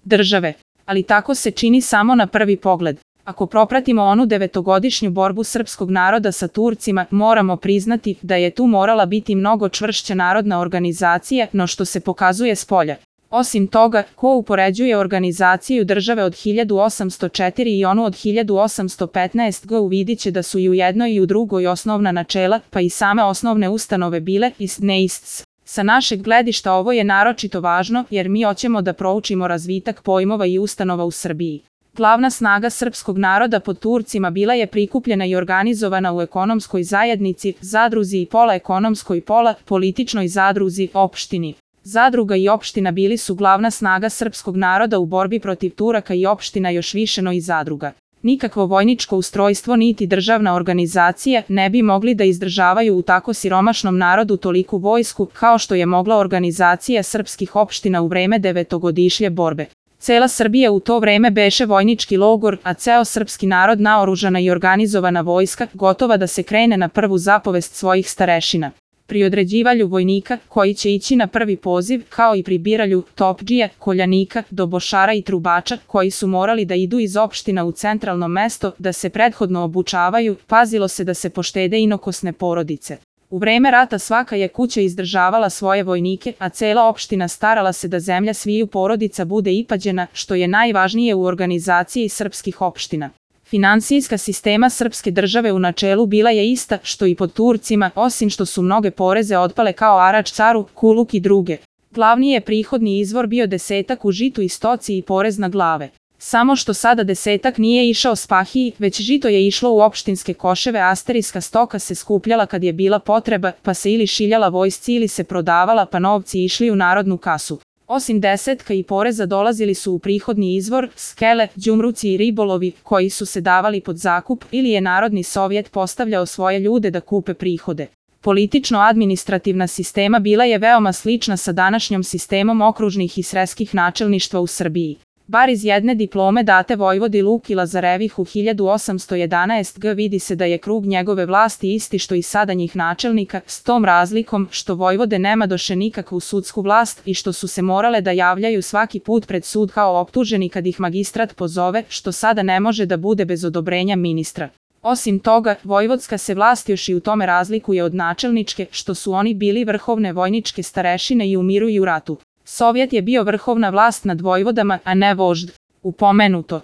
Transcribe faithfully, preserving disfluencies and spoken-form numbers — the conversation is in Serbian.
države. Ali tako se čini samo na prvi pogled. Ako propratimo onu devetogodišnju borbu srpskog naroda sa Turcima, moramo priznati da je tu morala biti mnogo čvršća narodna organizacija, no što se pokazuje spolja. Osim toga, ko upoređuje organizaciju države od hiljadu osamsto četiri i onu od hiljadu osamsto petnaest. godina uvidit će da su i u jednoj i u drugoj osnovna načela, pa i same osnovne ustanove bile ist ne ists. Sa našeg gledišta ovo je naročito važno jer mi hoćemo da proučimo razvitak pojmova i ustanova u Srbiji. Glavna snaga srpskog naroda pod Turcima bila je prikupljena i organizovana u ekonomskoj zajednici, zadruzi i pola ekonomskoj pola političnoj zadruzi, opštini. Zadruga i opština bili su glavna snaga srpskog naroda u borbi protiv Turaka i opština još više no i zadruga. Nikakvo vojničko ustrojstvo niti državna organizacija ne bi mogli da izdržavaju u tako siromašnom narodu toliku vojsku kao što je mogla organizacija srpskih opština u vreme devetogodišnje borbe. Cela Srbija u to vreme beše vojnički logor, a ceo srpski narod naoružana i organizovana vojska, gotova da se krene na prvu zapovest svojih starešina. Pri određivanju vojnika koji će ići na prvi poziv, kao i pri biranju topdžija, koljanika, dobošara i trubača koji su morali da idu iz opština u centralno mesto da se prethodno obučavaju, pazilo se da se poštede inokosne porodice. U vreme rata svaka je kuća izdržavala svoje vojnike, a cela opština starala se da zemlja sviju porodica bude ipađena, što je najvažnije u organizaciji srpskih opština. Finansijska sistema srpske države u načelu bila je ista što i pod Turcima, osim što su mnoge poreze otpale kao arač caru, kuluk i druge. Glavni je prihodni izvor bio desetak u žitu i stoci i porez na glave. Samo što sada desetak nije išao spahiji, već žito je išlo u opštinske koševe, asterijska stoka se skupljala kad je bila potreba, pa se ili šiljala vojsci ili se prodavala, pa novci išli u narodnu kasu. Osim desetka i poreza dolazili su u prihodni izvor, skele, đumruci i ribolovi, koji su se davali pod zakup, ili je Narodni sovjet postavljao svoje ljude da kupe prihode. Politično-administrativna sistema bila je veoma slična sa današnjom sistemom okružnih i sreskih načelništva u Srbiji. Bar iz jedne diplome date vojvodi Luki Lazarevihu hiljadu osamsto jedanaeste. godine vidi se da je krug njegove vlasti isti što i sadanjih načelnika, s tom razlikom što vojvode nema doše nikakvu sudsku vlast i što su se morale da javljaju svaki put pred sud kao optuženi kad ih magistrat pozove, što sada ne može da bude bez odobrenja ministra. Osim toga, vojvodska se vlast još i u tome razlikuje od načelničke, što su oni bili vrhovne vojničke starešine i u miru i u ratu. Sovjet je bio vrhovna vlast nad vojvodama, a ne vožd. Upomenuto.